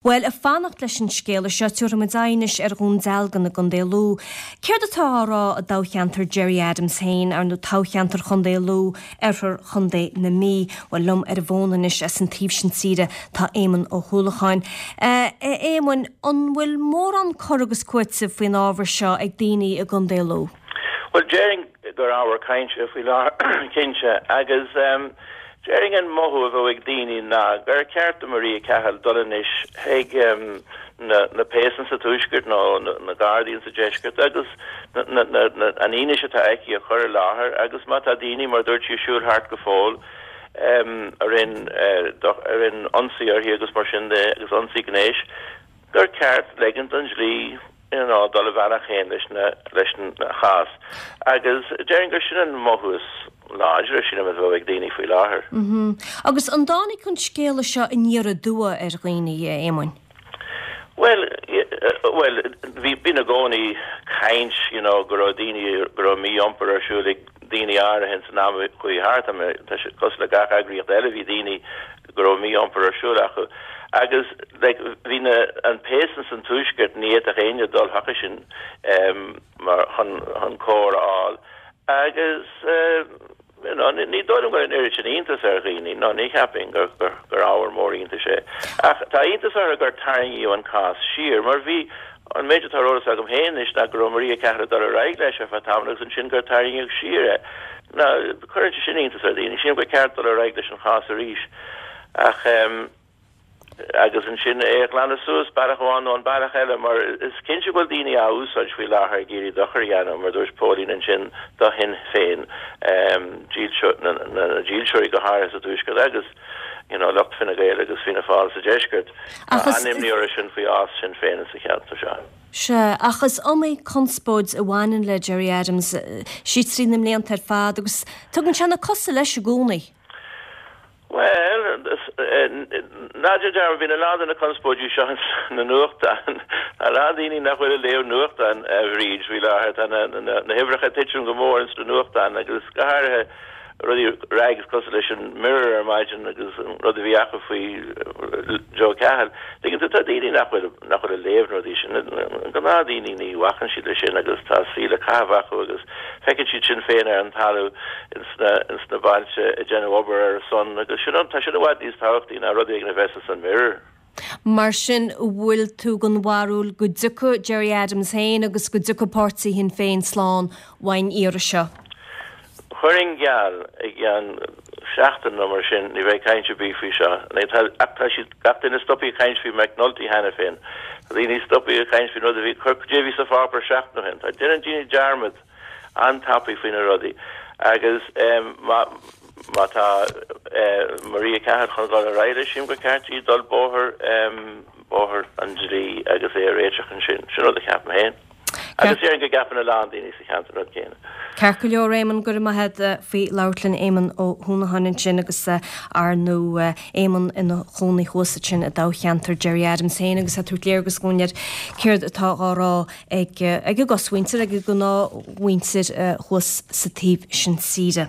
Bhuel, ag fanacht leis an scéala seo, tabharfaidh muid aghaidh anois ar Dhún Dealgan i gContae Lú. Céard atá á rá i dtoghcheantar Gerry Adams féin, ar ndóigh toghcheantar Chontae Lú, oirthear Chontae na Mí? Bhuel, liom ar an bhfón anois as an taobh sin tíre tá Éamonn Ó hUallacháin. A Éamoinn, an bhfuil mórán cur agus cúitimh faoin ábhar seo ag daoine i gContae Lú? Bhuel, déarfainn gur ábhar cainte faoi láthair, cinnte, agus déarfainn an mothú a bheadh ag daoine ná gur ceart do Maria Cahill dul anois chuig na péasanna sa Tuaisceart nó na Gardaí insa Deisceart agus an fhianaise atá aici a chur i láthair agus má tá daoine, mar a dúirt sí, ag siúl thart go fóill a rinne ionsaí uirthi agus mar sin de agus ionsaí gnéis, gur ceart ligint don dlí you know dul a bhealach féin leis na leis an chás agus déarfainn gur sin an mothú is láidre sílim a bheadh ag daoine faoi láthair. Agus an dtáinig an scéala seo aniar aduaidh ar dhaoine, a Éamoinn? Bhuel, bhuel, bhí bíonn i gcónaí caint you know go raibh daoine go raibh mí-iompar ar siúl ag daoine áirithe ins an am a chuaigh thart, tá sé cosúil le gach eagraíocht eile bhí daoine go raibh mí-iompar ar siúl acu agus like bhí na an péas ins an tuaisceart ní fhéadfadh éinne dul chucu sin mar chun chun cóir a fháil agus you know ní dóigh liom go raibh an oiread sin iontas ar dhaoine no ní cheapfainn gur gur gur ábhar mór iontais é ach tá iontas orthu gur tarraingíodh an cás siar mar bhí An méid atá ar eolas agam féin anois ná go raibh Maria Cahill ag dul ar aghaidh leis ar feadh tamaill agus ansin gur tarraingíodh siar é. Now, cuireann sé sin iontas ar dhaoine. Sílim gur ceart dul ar aghaidh leis an chás arís ach ehm agus ansin é a ghlanadh suas bealach amháin nó an bealach eile mar is cinnte go bhfuil daoine á úsáid faoi láthair ag iarraidh dochar a dhéanamh, mar a dúirt Póilín ansin, do Shinn Féin, ehm na dílseoirí go háirithe sa Tuaisceart agus you know lucht Fine Gael agus Fianna Fáil sa Deisceart. Tá an-imní orthu sin faoi fhás Shinn Féin sa cheantar seo. Sea, ach is iomaí conspóid a bhaineann le Gerry Adams siar trí na mblianta ar fad agus tugann sé na cosa leis i gcónaí. Bhuel, ná déan dearmad, bíonn a lán de na conspóidí seo sna nuachtáin. Tá a lán daoine nach bhfuil ag léamh nuachtáin, a Bhríd, faoi láthair. Tá na huimhreacha ag titim go mór ins na nuachtáin agus go háirithe rudaí rags cosúil leis an Mirror ar maidin agus an rud a bhí acu faoi Joe Cahill. Tuigeann tú, tá daoine nach bhfuil, nach bhfuil ag léamh na rudaí sin. Na gnáthdhaoine ní bhacann siad leis sin agus tá saol le caitheamh acu agus feiceann siad Sinn Féin ar an talamh ins na, ins na bailte ag déanamh obair ar a son agus sin, tá sin i bhfad níos tábhachtaí ná rud éigin a bheas ins an Mirror. Mar sin, an bhfuil tú den bharúil go dtiocfaidh Gerry Adams féin agus go dtiocfaidh páirtí Shinn Féin slán uaidh an iarraidh seo? Chuirfinn geall, i gceann seachtain nó mar sin, ní bheidh caint ar bith faoi seo. Ach tá siad, gach duine stoptha ag caint faoi McNulty cheana féin. Tá daoine stoptha ag caint faoin rud a bhí, cad é a bhí sa pháipéar seachtain ó shin. Tá, déanann daoine dearmad an-tapaidh faoi na rudaí agus má má tá Maria Cahill chun dul ar aghaidh leis, sílim gur ceart di dul bóthar bóthar an dlí agus é a réiteach ansin. Sin rud a cheapaim féin. Agus déarfainn go gceapann a lán daoine sa cheantar an rud céanna. Ceart go leor, Éamonn, go raibh maith agat faoi labhairt linn. Éamonn Ó hUanacháin ansin agus ar ndóigh Éamonn ina chónaí thuas ansin i dtoghcheantar Gerry Adams féin agus ag tabhairt léargas dúinn ar céard atá á rá ag a gcosmhuintir, ag an ngnáthmhuintir thuas sa taobh sin tíre.